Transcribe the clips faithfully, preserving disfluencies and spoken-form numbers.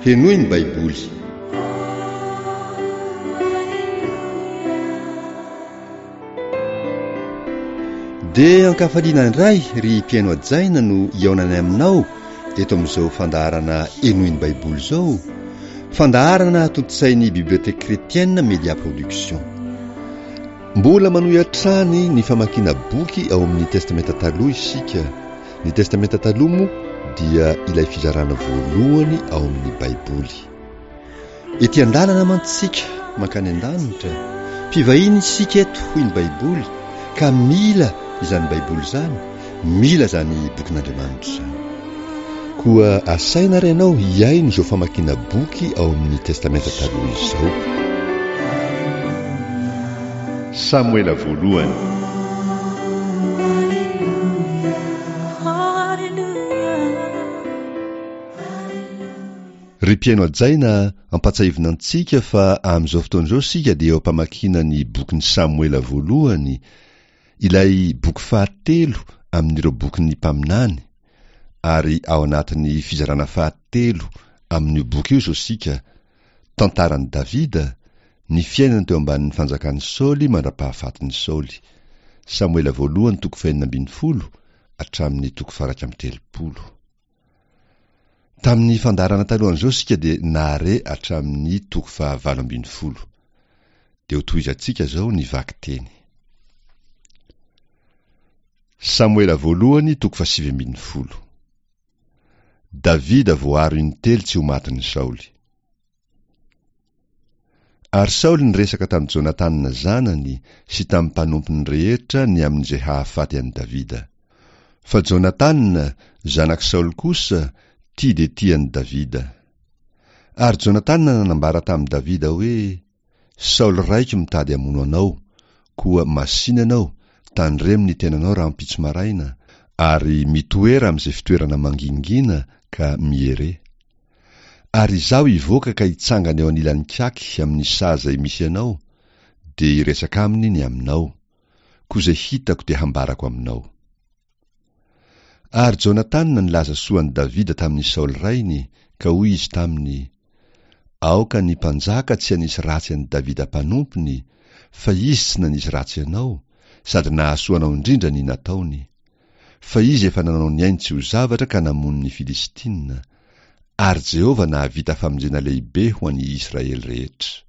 Henoy ny Baiboly. Dia ankafaliana indray ry mpihaino hajaina no hihaonanay aminao eto amin'izao fandaharana Henoy ny Baiboly izao, fandaharana tontosain'ny Bibliothèque Chrétienne Media Production. Mbola manohy hatrany ny famakiana boky ao amin'ny Testamenta Taloha isika. Ny Testamenta Taloha moa dia ilay fizarana voalohany ao amin'ny Baiboly. Ety an-dalana mantsy isika mankany an-danitra. Mpivahiny isika eto hoy ny Baiboly ka mila izany Baiboly izany, mila izany bokin'Andriamanitra izany. Koa asaina ary ianao hihaino izao famakiana boky ao amin'ny Testamenta Taloha izao. Samoela voalohany. Ry mpihaino hajaina, ampatsahivina antsika fa amin'izao fotoana izao isika dia eo am-pamakiana ny bokin'i Samoela voalohany, ilay boky fahatelo amin'ireo bokin'ny mpaminany, ary ao anatin'ny fizarana fahatelo amin'io boky io izao isika, tantaran'i Davida, ny fiainany teo ambanin'ny fanjakan'i Saoly mandra-pahafatin'i Saoly. Samoela voalohany toko fahenina ambin'ny folo hatramin'ny toko faha-iraika amby telopolo. Tamin'ny fandaharana talohan'izao isika dia nahare hatramin'ny toko fahavalo ambin'ny folo. Dia ho tohizantsika izao ny vakiteny. Samoela voalohany toko fahasivy ambin'ny folo. Davida voaaro intelo tsy ho matin'i Saoly. Ary Saoly niresaka tamin'i Jonatana zanany sy tamin'ny mpanompony rehetra ny amin'izay hahafaty an'i Davida. Fa Jonatana, zanak'i Saoly kosa, tia dia tia an'i Davida. Ary Jonatana nanambara tamin'i Davida hoe, Saoly raiko mitady hamono anao, koa masìna ianao, tandremo ny tenanao rahampitso maraina, ary mitoera amin'izay fitoerana mangingina ka miere. Ary izaho hivoaka ka hitsangana eo anilan'ny kaky amin'ny saha izay misy anao, dia hiresaka aminy ny aminao. Koa izay hitako dia hambarako aminao. Ary Jonatana nilaza soa an'i Davida tamin'i Saoly rainy, ka hoy izy taminy, Aoka ny mpanjaka tsy hanisy ratsy an'i Davida mpanompony, fa izy tsy nanisy ratsy anao, sady nahasoa anao indrindra ny nataony. Fa izy efa nanao ny ainy tsy ho zavatra ka namono ny Filistina, ary Jehovah nahavita famonjena lehibe ho an'i Israely rehetra.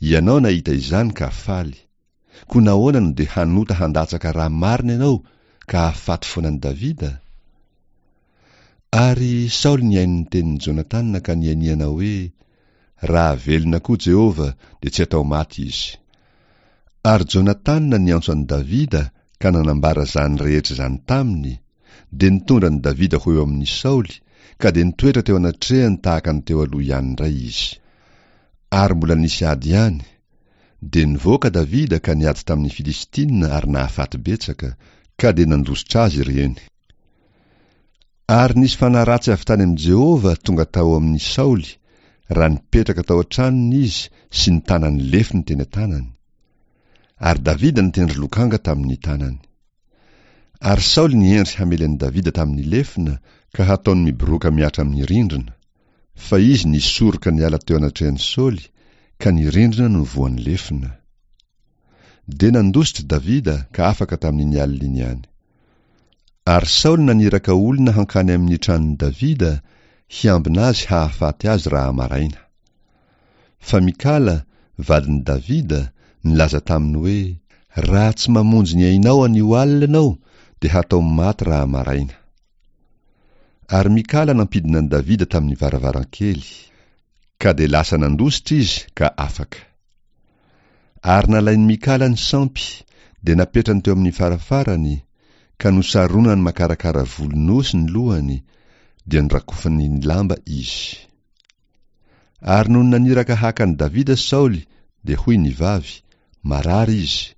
Ianao nahita izany ka faly. Koa nahoana no dia hanota handatsaka rà marina ianao ka hahafaty foana an'i Davida? Ary Saoly nihaino ny tenin'i Jonatana ka nianiana hoe, Raha velona koa Jehovah, dia tsy hatao maty izy. Ary Jonatana niantso an'i Davida ka nanambara izany rehetra izany taminy, dia nitondra an'i Davida ho eo amin'i Saoly, ka dia nitoetra teo anatrehany tahaka ny teo aloha ihany indray izy. Ary mbola nisy ady ihany. Dia nivoaka Davida ka niady tamin'ny Filistina ary nahafaty betsaka, ka dia nandositra azy ireny. Ary nisy fanahy ratsy avy tany amin'i Jehovah tonga tao amin'i Saoly, raha nipetraka tao an-tranony izy sy nitana ny lefony teny an-tanany. Ary Davida nitendry lokanga tamin'ny tanany. Ary Saoly nihendry hamely an'i Davida tamin'ny lefona ka hataony miboroaka mihatra amin'ny rindrina, fa izy nisoroka niala teo anatrehan'i Saoly, ka ny rindrina no voan'ny lefona. Dia nandositra Davida ka afaka tamin'iny alina iny ihany. Ary Saoly naniraka olona hankany amin'ny tranon'i Davida hiambina azy hahafaty azy raha maraina. Fa Mikala, vadin'i Davida, nilaza taminy hoe, Raha tsy mamonjy ny ainao anio alina ianao, dia hatao maty raha maraina. Ary Mikala nampidina an'i Davida tamin'ny varavarankely, ka dia lasa nandositra izy ka afaka. Ary nalain'i Mikala ny sampy, dia napetrany teo amin'ny farafarany, ka nosaronany makarakara volon'osy ny lohany, dia norakofany ny lamba izy. Ary nony naniraka haka an'i Davida Saoly, dia hoy ny vavy, Marary izy.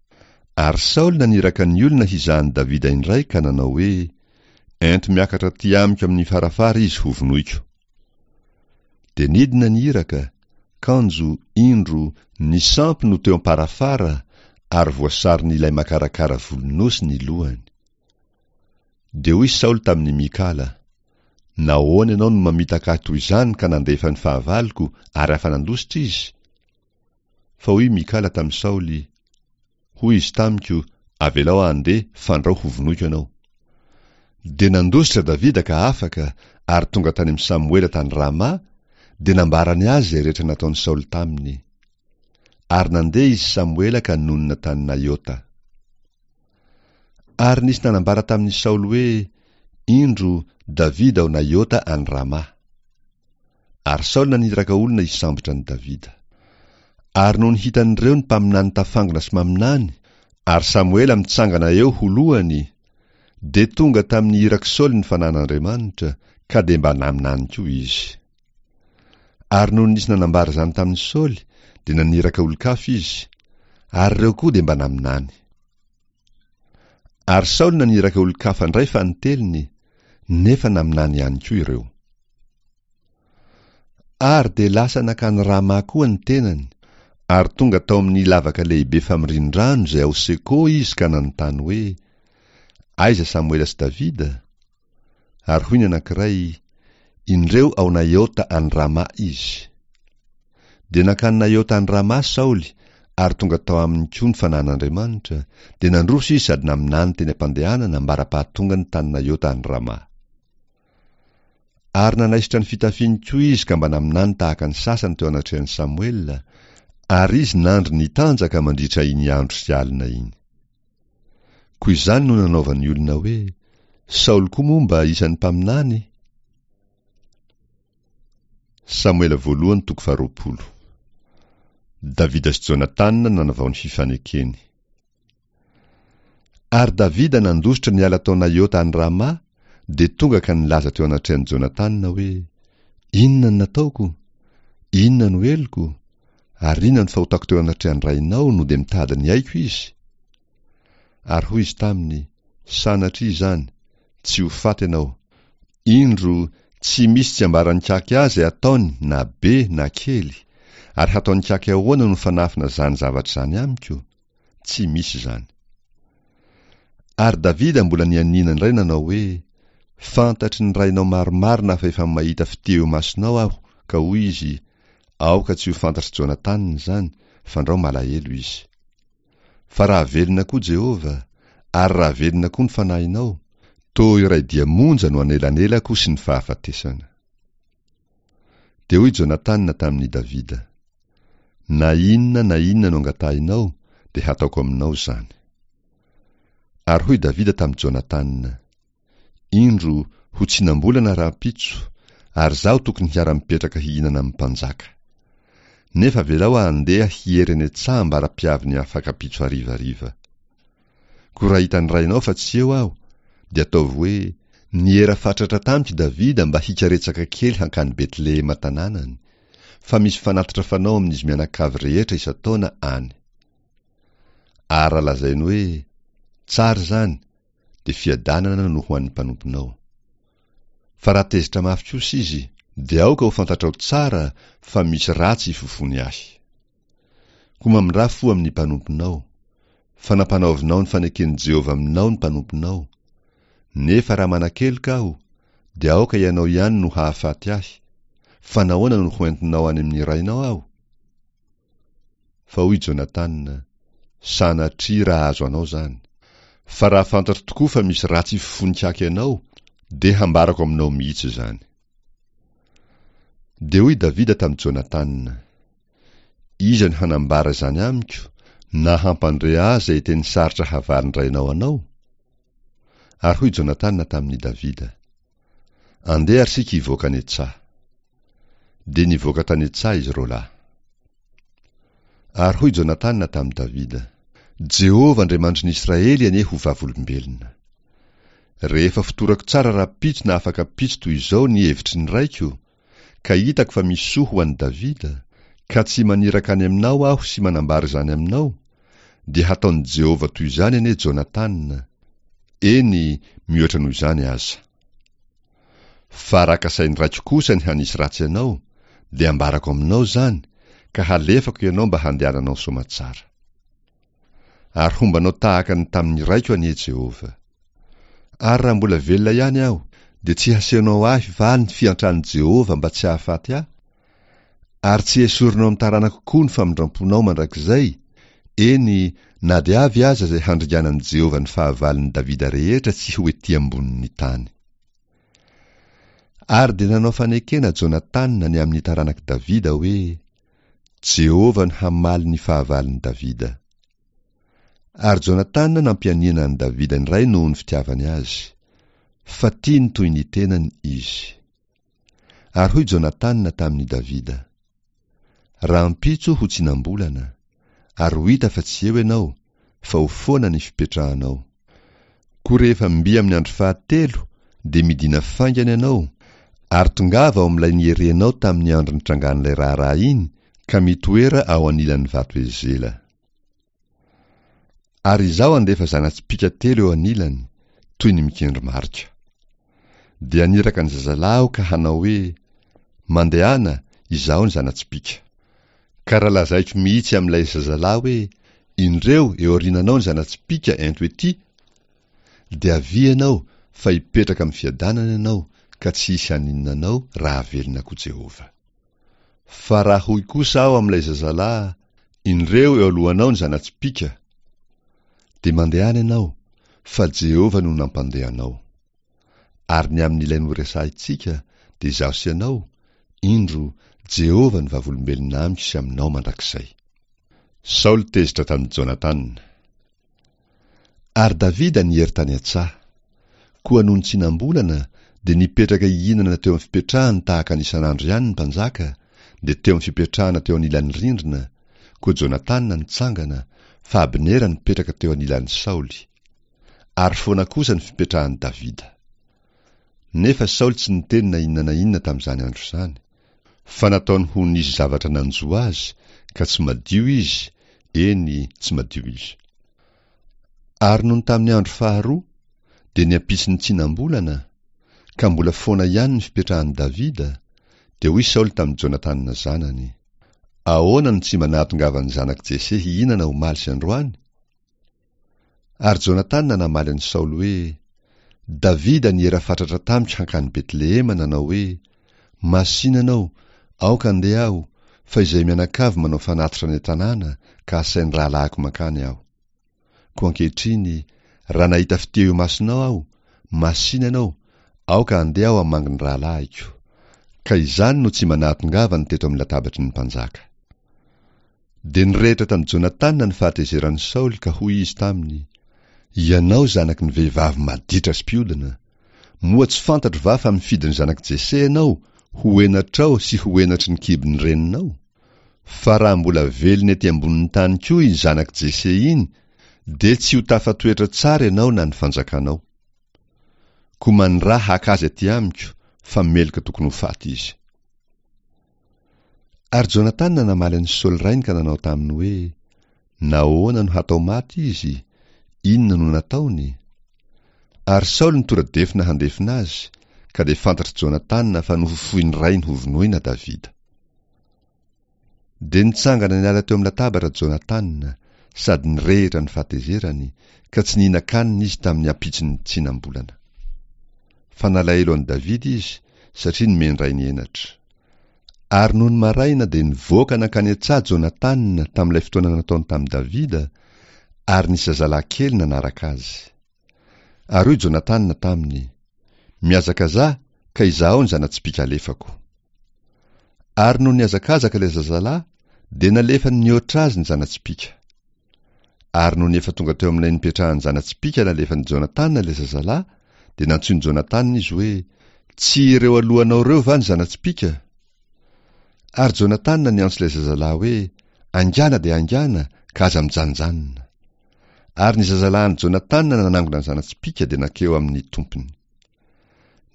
Ary Saoly naniraka ny olona hizaha an'i Davida indray ka nanao hoe, Ento miakatra aty amiko amin'ny farafara izy hovonoiko. Dia nidina ny iraka, kanjo, indro, ny sampy no teo am-parafara, ary voasaron'ilay makarakara volon'osy ny lohany. Dia hoy Saoly tamin'i Mikala, Nahoana ianao no mamitaka ahy toy izany ka nandefa ny fahavaloko ary afa-nandositra izy? Fa hoy Mikala tamin'i Saoly, Hoy izy tamiko, Avelao aho handeha, fandrao hovonoiko ianao. Dia nandositra Davida ka afaka, ary tonga tany amin'i Samoela tany Rama, dia nambarany azy izay rehetra nataon'i Saoly taminy. Ary nandeha izy Samoela ka nonina tany Naiota. Ary nisy nanambara tamin'i Saoly hoe, Indro, Davida ao Naiota any Rama. Ary Saoly naniraka olona hisambotra an'i Davida. Ary nony hitan'ireo ny mpaminany tafangona sy maminany, ary Samoela mitsangana eo ho lohany, dia tonga tamin'ny irak'i Saoly ny fanan'Andriamanitra, ka dia mba naminany koa izy. Ary nony nisy nanambara izany tamin'i Saoly, dia naniraka olon-kafa izy, ary ireo koa dia mba naminany. Ary Saoly naniraka olon-kafa indray fanintelony, nefa naminany ihany koa ireo. Ary dia lasa nankany Rama koa ny tenany, ary tonga tao amin'ny lavaka lehibe famorian-drano izay ao Seko izy ka nanontany hoe, Aiza Samoela sy Davida? Ary hoy ny anankiray, Indreo ao Naiota any Rama izy. Dia nankany Naiota any Rama Saoly, ary tonga tao aminy koa ny fanan'Andriamanitra, dia nandroso izy sady naminany teny am-pandehanana ambara-pahatongany tany Naiota any Rama. Ary nanaisotra ny fitafiany koa izy ka mba naminany tahaka ny sasany teo anatrehan'i Samoela, ary izy nandry nitanjaka mandritra iny andro sy alina iny. Koa izany no nanaovan'ny olona hoe, Saoly koa moa mba isan'ny mpaminany? Samoela voalohany toko faharoapolo. Davida sy Jonatana nanavao ny fifanekeny. Ary Davida nandositra niala tao Naiota any Rama, dia tonga ka nilaza teo anatrehan'i Jonatana hoe, Inona no nataoko? Inona no heloko? Ary inona no fahotako teo anatrehan'ny rainao no dia mitady ny aiko izy? Ary hoy izy taminy, Sanatria izany, tsy ho faty ianao. Indro, tsy misy tsy ambaran'i Kaky ahy izay ataony na be na kely, ary hataon'i Kaky ahoana no fanafina izany zavatra izany amiko? Tsy misy izany. Ary Davida mbola nianiana indray nanao hoe, Fantatry ny rainao marimarina fa efa mahita fitia eo imasonao aho, ka hoy izy, Aoka tsy ho fantatr'i Jonatana izany, fandrao malahelo izy. Fa raha velona koa Jehovah, ary raha velona koa ny fanahinao, toa iray dia monja no anelanelako sy ny fahafatesana. Dia hoy Jonatana tamin'i Davida, Na inona na inona no angatahinao, dia hataoko aminao izany. Ary hoy Davida tamin'i Jonatana, Indro, ho tsinam-bolana rahampitso, ary izaho tokony hiara-mipetraka hihinana amin'ny mpanjaka. Nefa avelao aho handeha hiery any an-tsaha ambara-piavin'ny afak'ampitso harivariva. Koa raha hitan'ny rainao fa tsy eo aho, dia ataovy hoe, Niera fatratra tamiko Davida mba hikaretsaka kely hankany Betlehema tanànany, fa misy fanatitra fanao amin'izy mianakavy rehetra isan-taona any. Ary raha lazainy hoe, Tsara izany, dia fiadanana no ho an'ny mpanomponao. Fa raha tezitra mafy kosa izy, dia aoka ho fantatrao tsara fa misy ratsy ifofoany ahy. Koa mamindrà fo amin'ny mpanomponao, fa nampanaovinao ny faneken'i Jehovah aminao ny mpanomponao. Nefa raha manakeloka aho, dia aoka ianao ihany no hahafaty ahy, fa nahoana no hoentinao any amin'ny rainao aho? Fa hoy Jonatana, Sanatria raha azo anao izany! Fa raha fantatro tokoa fa misy ratsy ifofoan-kaky anao, dia hambarako aminao mihitsy izany. Dia hoy Davida tamin'i Jonatana, Iza no hanambara izany amiko, na hampandre ahy izay teny sarotra havalin-drainao anao? Ary hoy Jonatana tamin'i Davida, Andeha ary isika hivoaka any an-tsaha. Dia nivoaka tany an-tsaha izy roa lahy. Ary hoy Jonatana tamin'i Davida, Jehovah Andriamanitry ny Israely anie ho vavolombelona. Rehefa fotorako tsara rahampitso na afak'ampitso toy izao ny hevitry ny raiko, ka hitako fa misy soa ho an'i Davida, ka tsy maniraka any aminao aho sy manambara izany aminao, dia hataon'i Jehovah toy izany anie Jonatana, eny, mihoatra noho izany aza. Fa raha kasain'ny raiko kosa ny hanisy ratsy anao, dia ambarako aminao izany, ka halefako ianao mba handehananao soamatsara. Ary homba anao tahaka ny tamin'ny raiko anie Jehovah. Ary raha mbola velona ihany aho, Dia tsy hasehonao ahy va ny fiantran'i Jehovah mba tsy hahafaty ahy? Ary tsy hesorinao amin'ny taranako koa ny famindram-ponao mandrakizay, eny, na dia avy aza izay handringanan'i Jehovah ny fahavalon'i Davida rehetra tsy ho ety ambonin'ny tany. Ary dia nanao fanekena Jonatana ny amin'ny taranak'i Davida hoe, Jehovah no hamaly ny fahavalon'i Davida. Ary Jonatana nampianiana an'i Davida indray noho ny fitiavany azy, fa tiany toy ny tenany izy. Ary hoy Jonatana tamin'i Davida, Rahampitso ho tsinam-bolana, ary ho hita fa tsy eo ianao, fa ho foana ny fipetrahanao. Koa rehefa mby amin'ny andro fahatelo, dia midina faingana ianao, ary tongava ao amin'ilay nierenao tamin'ny andro nitrangan'ilay raharaha iny, ka mitoera ao anilan'ny vato Ezela. Ary izaho handefa zana-tsipìka telo eo anilany, toy ny mikendry marika. Dia haniraka ny zazalahy aho ka hanao hoe, Mandehana, izaho ny zana-tsipìka. Ka raha lazaiko mihitsy amin'ilay zazalahy hoe, Indreo eo aoriananao ny zana-tsipìka, ento etỳ, dia avia ianao, fa hipetraka amin'ny fiadanana ianao, ka tsy hisy haninona anao raha velona koa Jehovah. Fa raha hoy kosa aho amin'ilay zazalahy, Indreo eo alohanao ny zana-tsipìka, dia mandehana ianao, fa Jehovah no nampandeha anao. Ary ny amin'ilay noresahintsika, dia izaho sy ianao, indro, Jehovah no vavolombelona amiko sy aminao mandrakizay. Saoly tezitra tamin'i Jonatana. Ary Davida niery tany an-tsaha. Koa nony tsinam-bolana, dia nipetraka hihinana teo amin'ny fipetrahany tahaka ny isan'andro ihany ny mpanjaka, dia teo amin'ny fipetrahana teo anilan'ny rindrina, koa Jonatana nitsangana, fa Abnera nipetraka teo anilan'i Saoly. Ary foana kosa ny fipetrahan'i Davida. Nefa Saoly tsy niteny na inona na inona tamin'izany andro izany, fa nataony ho nisy zavatra nanjo azy, ka tsy madio izy, eny, tsy madio izy. Ary nony tamin'ny andro faharoa, dia ny ampitson'ny tsinam-bolana, ka mbola foana ihany ny fipetrahan'i Davida, dia hoy Saoly tamin'i Jonatana zanany, Ahoana no tsy mba nahatongavan'ny zanak'i Jese hihinana omaly sy androany? Ary Jonatana namaly an'i Saoly hoe, Davida niera fatratra tamiko hankany Betlehema nanao hoe, Masìna ianao, aoka handeha aho, fa izay mianakavy manao fanatitra any an-tanàna, ka asain'ny rahalahiko mankany aho. Koa ankehitriny, raha nahita fitia eo imasonao aho, masìna ianao, aoka handeha aho hamangy ny rahalahiko. Ka izany no tsy mba nahatongavany teto amin'ny latabatry ny mpanjaka. Dia nirehitra tamin'i Jonatana ny fahatezeran'i Saoly ka hoy izy taminy, Ianao zanaky ny vehivavy maditra sy mpiodina, moa tsy fantatro va fa mifidy ny zanak'i Jese ianao ho henatrao sy ho henatry ny kibon'ny reninao? Fa raha mbola velona ety ambonin'ny tany koa iny zanak'i Jese iny, dia tsy ho tafatoetra tsara ianao na ny fanjakanao. Koa maniraha haka azy aty amiko, fa meloka tokony ho faty izy. Ary Jonatana namaly an'i Saoly rainy ka nanao taminy hoe, Nahoana no hatao maty izy? Inona no nataony? Ary Saoly nitora-defona handefona azy, ka dia fantatr'i Jonatana fa nofofoin'ny rainy hovonoina Davida. Dia nitsangana niala teo amin'ny latabatra Jonatana, sady nirehitra ny fahatezerany, ka tsy nihinan-kanina izy tamin'ny ampitson'ny tsinam-bolana. Fa nalahelo an'i Davida izy, satria nomen-drainy henatra. Ary nony maraina dia nivoaka nankany an-tsaha Jonatana tamin'ilay fotoana nataony tamin'i Davida, ary nisy zazalahy kely nanaraka azy. Ary hoy Jonatana taminy, Mihazakazaha, ka izahao ny zana-tsipìka alefako. Ary nony nihazakazaka ilay zazalahy, dia nalefany nihoatra azy ny zana-tsipìka. Ary nony efa tonga teo amin'ilay nipetrahan'ny zana-tsipìka nalefan'i Jonatana ilay zazalahy, dia nantsoin'i Jonatana izy hoe, Tsy ireo alohanao ireo va ny zana-tsipìka? Ary Jonatana niantso ilay zazalahy hoe, Haingàna dia haingàna, ka aza mijanonjanona. Ary ny zazalahin'i Jonatana nanangona ny zana-tsipìka dia nankeo amin'ny tompony.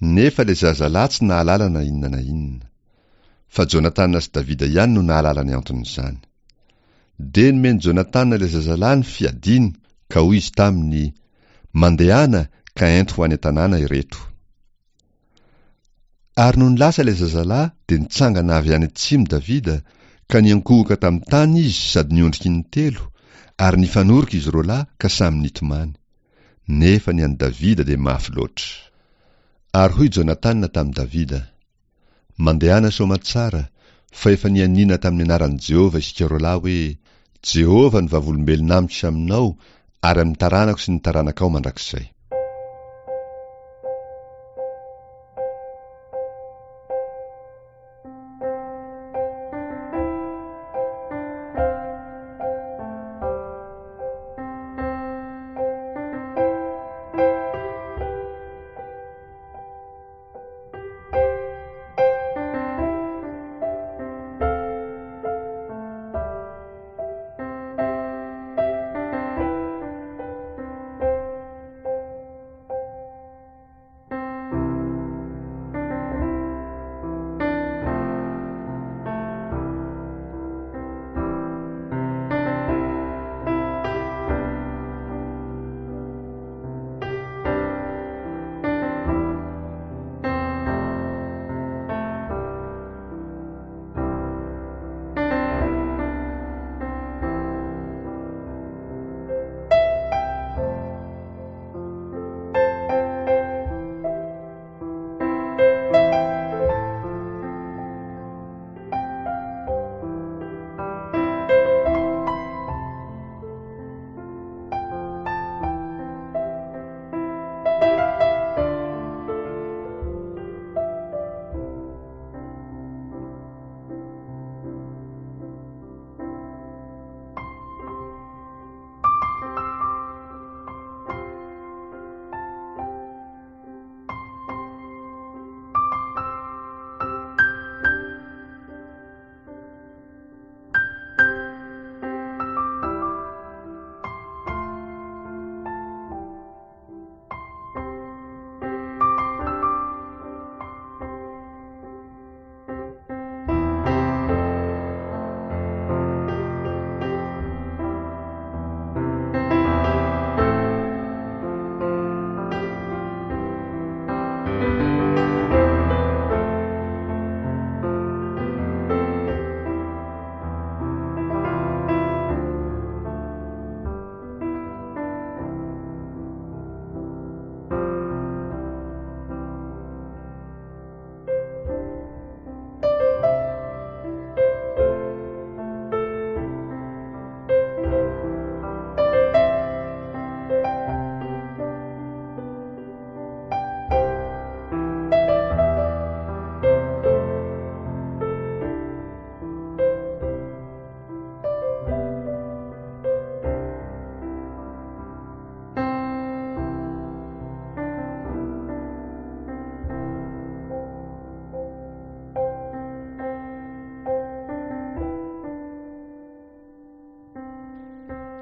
Nefa ilay zazalahy tsy nahalala na inona na inona. Fa Jonatana sy Davida ihany no nahalala ny anton'izany. Dia nomen'i Jonatana ilay zazalahy ny fiadiany, ka hoy izy taminy, Mandehana ka ento ho any an-tanàna ireto. Ary nony lasa ilay zazalahy, dia nitsangana avy any atsimo Davida, ka niankohoka tamin'ny tany izy sady niondrika intelo, ary nifanoroka izy roalahy ka samy nitomany. Nefa ny an'i Davida dia mafy loatra. Ary hoy Jonatana tamin'i Davida, Mandehana soamatsara, fa efa nianiana tamin'ny anaran'i Jehovah isika roalahy hoe, Jehovah no vavolombelona amiko sy aminao ary amin'ny taranako sy ny taranakao mandrakizay.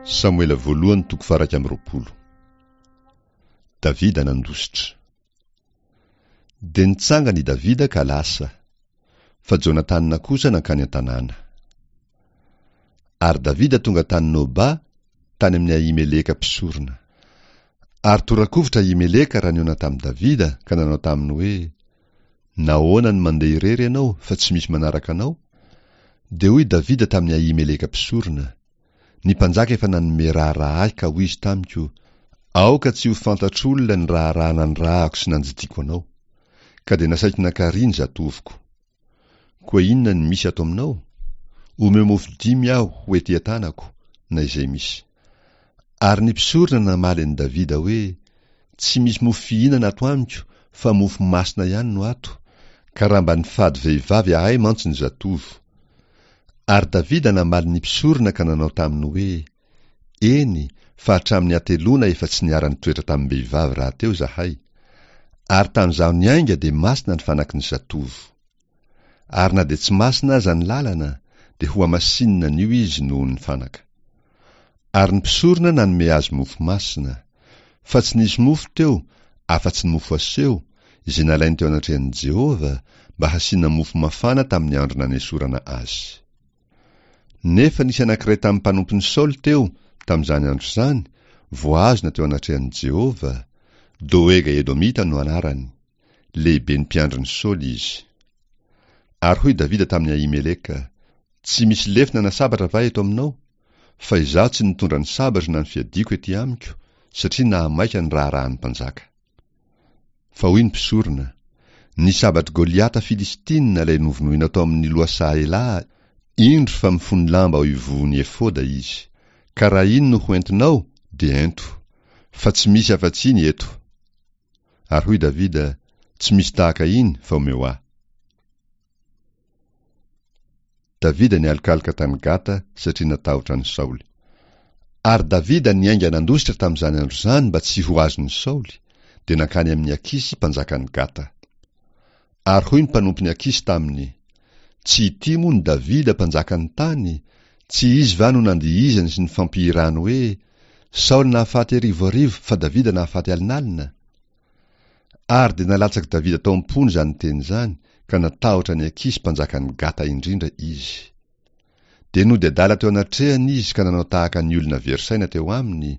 Samoela voalohany toko faha-iraika amby roapolo. Davida nandositra. Dia nitsangana i Davida ka lasa, fa Jonatana kosa nankany an-tanàna. Ary Davida tonga tany Noba, tany amin'i Ahimeleka mpisorona. Ary tora-kovitra Ahimeleka raha nihaona tamin'i Davida ka nanao taminy hoe, Nahoana no mandeha irery ianao fa tsy misy manaraka anao? Dia hoy Davida tamin'i Ahimeleka mpisorona, Ny mpanjaka efa nanome raharaha ahy ka hoy izy tamiko, Aoka tsy ho fantatr'olona ny raharaha nanirahako sy nandidiako anao. Ka dia nasaiko nankarỳ ny zatovoko. Koa inona no misy ato aminao? Omeo mofo dimy aho ho ety an-tanako, na izay misy. Ary ny mpisorona namaly an'i Davida hoe, Tsy misy mofo fihinana ato amiko fa mofo masina ihany no ato, ka raha mba nifady vehivavy ahay mantsy ny zatovo. Ary Davida namaly ny mpisorona ka nanao taminy hoe, Eny, fa hatramin'ny hateloana efa tsy niara-nitoetra tamim-behivavy rahateo izahay. Ary tamin'izaho niainga dia masina ny fanaky ny zatovo. Ary na dia tsy masina aza ny lalana, dia hohamasinina anio izy noho ny fanaka. Ary ny mpisorona nanome azy mofo masina. Fa tsy nisy mofo teo, afa-tsy ny mofo aseho, izay nalainy teo anatrehan'i Jehovah, mba hasiana mofo mafana tamin'ny andro nanesorana azy. Nefa nisy anankiray tamin'ny mpanompon'i Saoly teo, tamin'izany andro izany, voahazona teo anatrehan'i Jehovah, Doega Edomita no anarany, lehiben'ny mpiandrin'i Saoly izy. Ary hoy Davida tamin'i Ahimeleka, Tsy misy lefona na sabatra va eto aminao? Fa izaho tsy nitondra ny sabatro na ny fiadiako ety amiko, satria nahamaika ny raharahan'ny mpanjaka. Fa hoy ny mpisorona, Ny sabatr'i Goliata Filistina ilay novonoinao tao amin'ny lohasaha Elaha, indro fa mifono lamba ao ivohon'ny efoda izy. Ka raha iny no ho entinao, dia ento. Fa tsy misy afa-tsy iny eto. Ary hoy Davida, Tsy misy tahaka iny, fa omeo ahy. Davida nialokaloka tany Gata satria natahotra an'i Saoly. Ary Davida niainga nandositra tamin'izany andro izany mba tsy ho azon'i Saoly, dia nankany amin'i Akisy mpanjakan'i Gata. Ary hoy ny mpanompon'i Akisy taminy, Tsy ity moa no Davida mpanjakan'ny tany? Tsy izy va no nandihizany sy nifampihirany hoe, Saoly nahafaty arivo arivo fa Davida nahafaty alinalina? Ary dia nalatsak'i Davida tao am-pony izany teny izany, ka natahotra an'i Akisy mpanjakan'i Gata indrindra izy. Dia nody adala teo anatrehany izy ka nanao tahaka ny olona very saina teo aminy,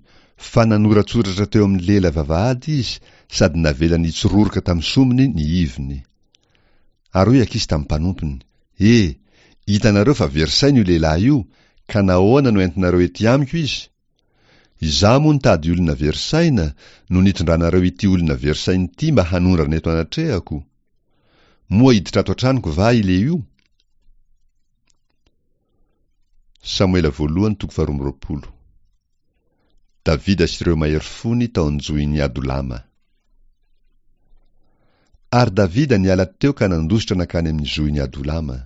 fa nanoratsoratra teo amin'ny lela vavahady izy sady navelany hitsororoka tamin'ny sombiny ny iviny. Ary hoy Akisy tamin'ny mpanompony, E! Hitanareo fa very saina io lehilahy io, ka nahoana no entinareo ety amiko izy? Izaho moa nitady olona very saina no nitondranareo ity olona very saina ity mba hanondrana eto anatrehako? Moa hiditra ato an-tranoko va ilehio? Samoela voalohany toko faharoa amby roapolo. Davida sy ireo mahery fony tao an-johin'i Adolama. Ary Davida niala teo ka nandositra nankany amin'ny zohin'i Adolama.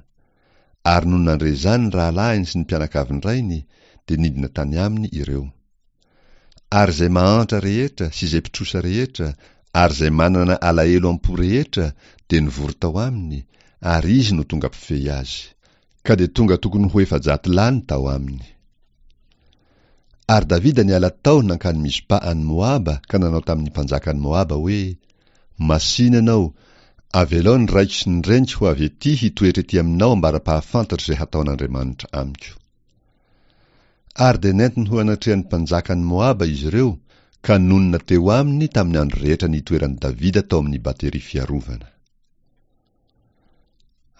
Ary nony nandre izany ny rahalahiny sy ny mpianakavin-drainy, dia nidina tany aminy ireo. Ary izay mahantra rehetra sy izay mpitrosa rehetra ary izay manana alahelo am-po rehetra dia nivory tao aminy, ary izy no tonga mpifehy azy. Ka dia tonga tokony ho efajato lahy ny tao aminy. Ary Davida niala tao nankany Mizpa any Moaba ka nanao tamin'ny mpanjakan'i Moaba hoe, Masìna ianao, avelao ny raiko sy ny reniko ho avy ety hitoetra ety aminao ambara-pahafantatro izay hataon'Andriamanitra amiko. Ary dia nentiny ho anatrehan'ny mpanjakan'i Moaba izy ireo ka nonina teo aminy tamin'ny andro rehetra nitoeran'i Davida tao amin'ny bateria fiarovana.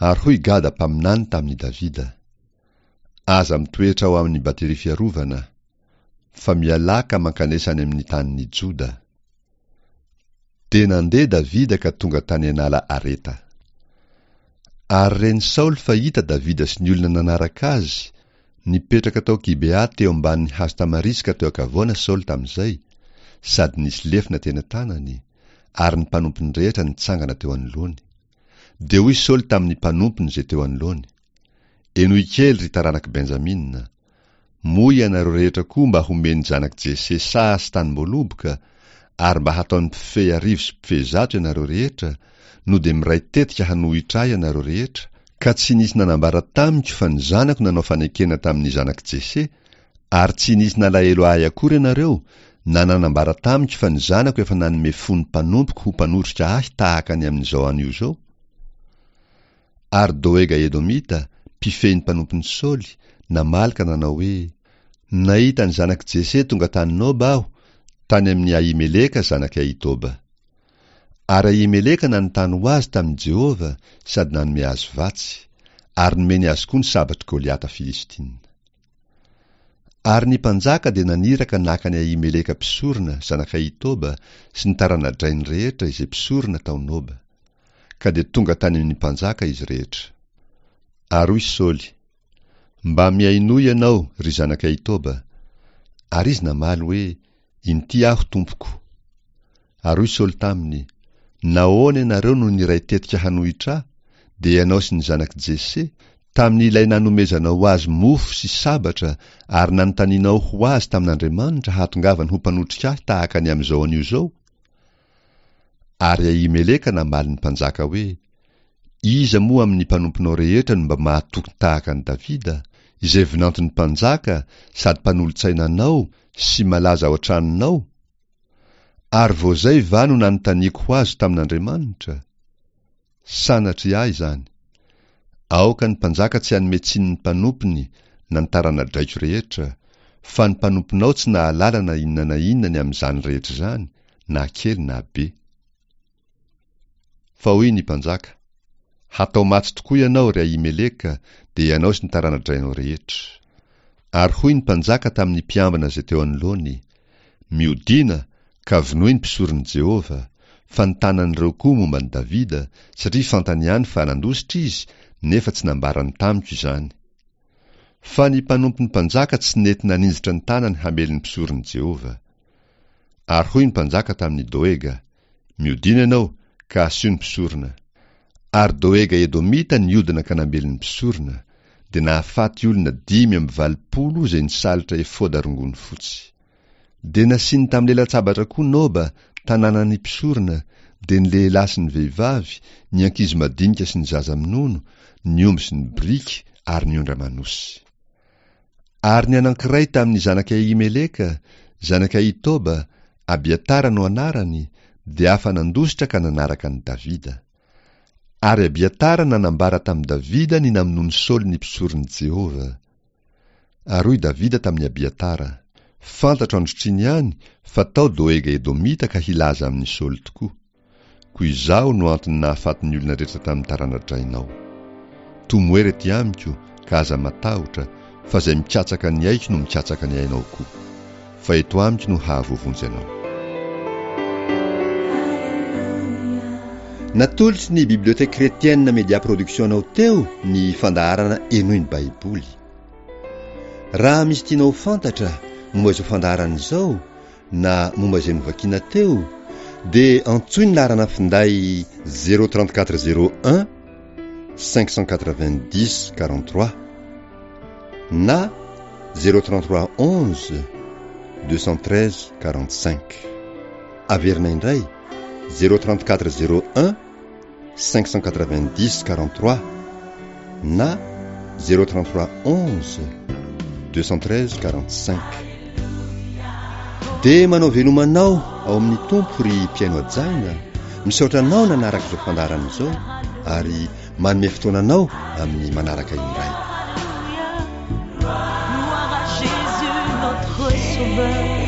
Ary hoy Gada mpaminany tamin'i Davida, Aza mitoetra ao amin'ny bateria fiarovana, fa mialà ka mankanesa any amin'ny tanin'i Joda. Dia nandeha Davida ka tonga tany an'ala Areta. Ary ren'i Saoly fa hita Davida sy ny olona nanaraka azy, nipetraka tao Gibea teo ambanin'ny hazo tamariska teo an-kavoana Saoly tamin'izay, sady nisy lefona teny an-tanany, ary ny mpanompony rehetra nitsangana teo anoloany. Dia hoy Saoly tamin'ny mpanompony izay teo anoloany, Henoy kely, ry taranak'i Benjamina! Moa ianareo rehetra koa mba homen'ny zanak'i Jese saha sy tanim-boaloboka, ary mba hataony mpifehy arivo sy mpifehy zato ianareo rehetra, no dia miray tetika hanohitra ahy ianareo rehetra, ka tsy nisy nanambara tamiko fa ny zanako nanao fanekena tamin'ny zanak'i Jese, ary tsy nisy nalahelo ahy akory ianareo, na nanambara tamiko fa ny zanako efa nanome fo ny mpanompoko ho mpanotrika ahy tahaka ny amin'izao anio izao? Ary Doega Edomita, mpifehy ny mpanompon'i Saoly, namaly ka nanao hoe, Nahita ny zanak'i Jese tonga tany Noba aho, tany amin'i Ahimeleka zanak'i Ahitoba. Ary Ahimeleka nanontany ho azy tamin'i Jehovah sady nanome azy vatsy, ary nomeny azy koa ny sabatr'i Goliata Filistina. Ary ny mpanjaka dia naniraka naka an'i Ahimeleka mpisorona, zanak'i Ahitoba, sy ny tarana-drainy rehetra izay mpisorona tao Noba. Ka dia tonga tany amin'ny mpanjaka izy rehetra. Ary hoy Saoly, Mba mihainoa ianao, ry zanak'i Ahitoba. Ary izy namaly hoe, Inty aho, tompoko. Ary hoy Saoly taminy, Nahoana ianareo no niray tetika hanohitra ahy, dia ianao sy ny zanak'i Jese, tamin'ilay nanomezanao azy mofo sy sabatra ary nanontanianao ho azy tamin'Andriamanitra hahatongavany ho mpanotrika ahy tahaka ny amin'izao anio izao? Ary Ahimeleka namaly ny mpanjaka hoe, Iza moa amin'ny mpanomponao rehetra no mba mahatoky tahaka an'i Davida, izay vinanton'ny mpanjaka sady mpanolo-tsaina anao sy malaza ao an-tranonao? Ary vao izay va no nanontaniako ho azy tamin'Andriamanitra? Sanatria ahy izany! Aoka ny mpanjaka tsy hanome tsiny ny mpanompony na ny tarana-draiko rehetra, fa ny mpanomponao tsy nahalala na inona na inona ny amin'izany rehetra izany, na kely na be. Fa hoy ny mpanjaka, Hatao maty tokoa ianao, ry Ahimeleka, dia ianao sy ny tarana-drainao rehetra. Ary hoy ny mpanjaka tamin'ny mpiambina izay teo anoloany, Miodìna, ka vonoy ny mpisoron'i Jehovah, fa ny tanan'ireo koa momba an'i Davida, satria fantany ihany fa nandositra izy, nefa tsy nambarany tamiko izany. Fa ny mpanompon'ny mpanjaka tsy nety naninjitra ny tanany hamely ny mpisoron'i Jehovah. Ary hoy ny mpanjaka tamin'i Doega, Miodina ianao, ka asio ny mpisorona. Ary Doega Edomita niodina ka namely ny mpisorona, dia nahafaty olona dimy amby valopolo izay nisalotra efoda rongony fotsy. Dia nasiany tamin'ny lelan-tsabatra koa Noba, tanànan'ny mpisorona, dia ny lehilahy sy ny vehivavy, ny ankizy madinika sy ny zaza minono, ny omby sy ny biriky ary ny ondry aman'osy. Ary ny anankiray tamin'ny zanak'i Ahimeleka, zanak'i Ahitoba, Abiatara no anarany, dia afa-nandositra ka nanaraka an'i Davida. Ary Abiatara nanambara tamin'i Davida ny namonoan'i Saoly ny mpisoron'i Jehovah. Ary hoy Davida tamin'i Abiatara, Fantatro androtr'iny ihany fa tao Doega Edomita ka hilaza amin'i Saoly tokoa. Koa izaho no antony nahafaty ny olona rehetra tamin'ny tarana-drainao. Tomoera ety amiko, ka aza matahotra, fa izay mikatsaka ny aiko no mikatsaka ny ainao koa. Fa eto amiko no hahavoavonjy anao. Natolotry ny Bibliothèque Chrétienne Media Production anao teo ny fandaharana Henoy ny Baiboly. Raha misy tianao ho fantatra momba izao fandaharana izao na momba izay novakiana teo dia antsoy ny laharana finday zéro trente quatre zéro un cinq cent quatre-vingt-dix quarante-trois na zéro trente-trois onze deux cent treize quarante-cinq. Averina indray zéro trente-quatre zéro un cinq cent quatre-vingt-dix quarante-trois na zéro trente-trois onze deux cent treize quarante-cinq. Dia manao veloma anao ao amin'ny Tompo ry mpihaino hajaina, misaotra anao nanaraka izao fandaharana izao ary manome fotoana anao amin'ny manaraka indray. Gloire à Jésus notre Sauveur.